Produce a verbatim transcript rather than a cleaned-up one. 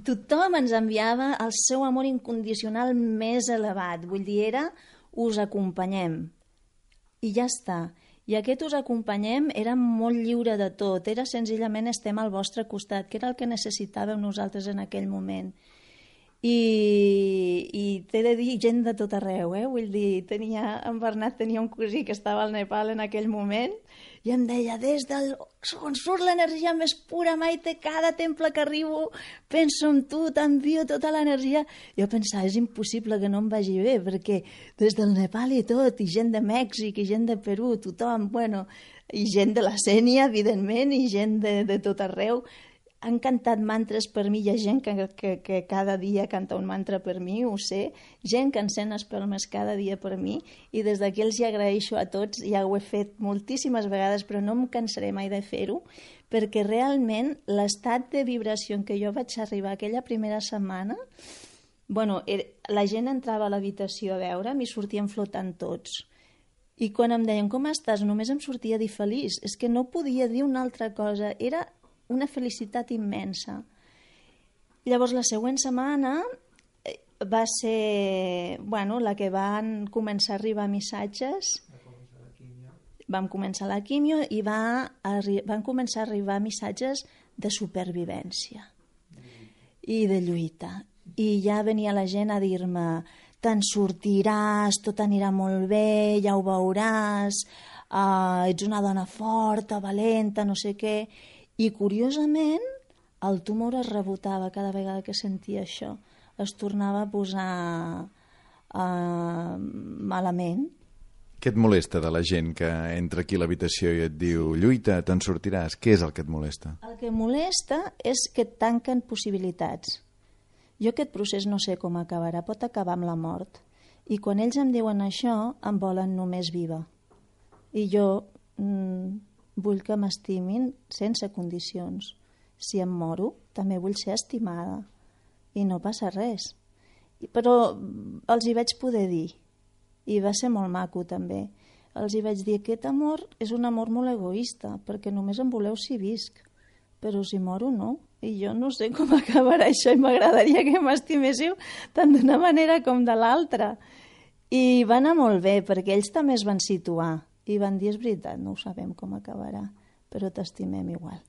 tothom ens enviava el seu amor incondicional més elevat. Vull dir, era us acompanyem. I ja està. I aquest us acompanyem era molt lliure de tot. Era senzillament estem al vostre costat, que era el que necessitàvem nosaltres en aquell moment. I, i t'he de dir gent de tot arreu, eh? Vull dir, tenia, en Bernat tenia un cosí que estava al Nepal en aquell moment i em deia, des del on surt l'energia més pura, Maite, cada temple que arribo penso en tu, t'envio tota l'energia. Jo pensava, és impossible que no em vagi bé, perquè des del Nepal i tot, i gent de Mèxic, i gent de Perú, tothom, bueno, i gent de la Sénia, evidentment, i gent de, de tot arreu. Han cantat mantres per mi, hi ha gent que, que, que cada dia canta un mantra per mi, ho sé, gent que encén espelmes cada dia per mi, i des d'aquí els hi agraeixo a tots, ja ho he fet moltíssimes vegades, però no em cansaré mai de fer-ho, perquè realment l'estat de vibració en què jo vaig arribar aquella primera setmana, bueno, la gent entrava a l'habitació a veure'm i sortien flotant tots. I quan em deien, com estàs? Només em sortia a dir feliç, és que no podia dir una altra cosa, era una felicitat immensa. Llavors, la següent setmana va ser, bueno, la que van començar a arribar missatges. Vam començar la quimio i va, van començar a arribar missatges de supervivència i de lluita. I ja venia la gent a dir-me, te'n sortiràs, tot anirà molt bé, ja ho veuràs, uh, ets una dona forta, valenta, no sé què. I, curiosament, el tumor es rebotava cada vegada que sentia això. Es tornava a posar uh, malament. Què et molesta de la gent que entra aquí a l'habitació i et diu lluita, te'n sortiràs? Què és el que et molesta? El que molesta és que et tanquen possibilitats. Jo aquest procés no sé com acabarà, pot acabar amb la mort. I quan ells em diuen això, em volen només viva. I jo... Mm, vull que m'estimin sense condicions. Si em moro, també vull ser estimada. I no passa res. Però els hi vaig poder dir. I va ser molt maco, també. Els hi vaig dir que aquest amor és un amor molt egoista, perquè només em voleu si visc. Però si moro, no. I jo no sé com acabarà això i m'agradaria que m'estiméssiu tant d'una manera com de l'altra. I va anar molt bé, perquè ells també es van situar. I van dir, és veritat, no ho sabem com acabarà, però t'estimem igual.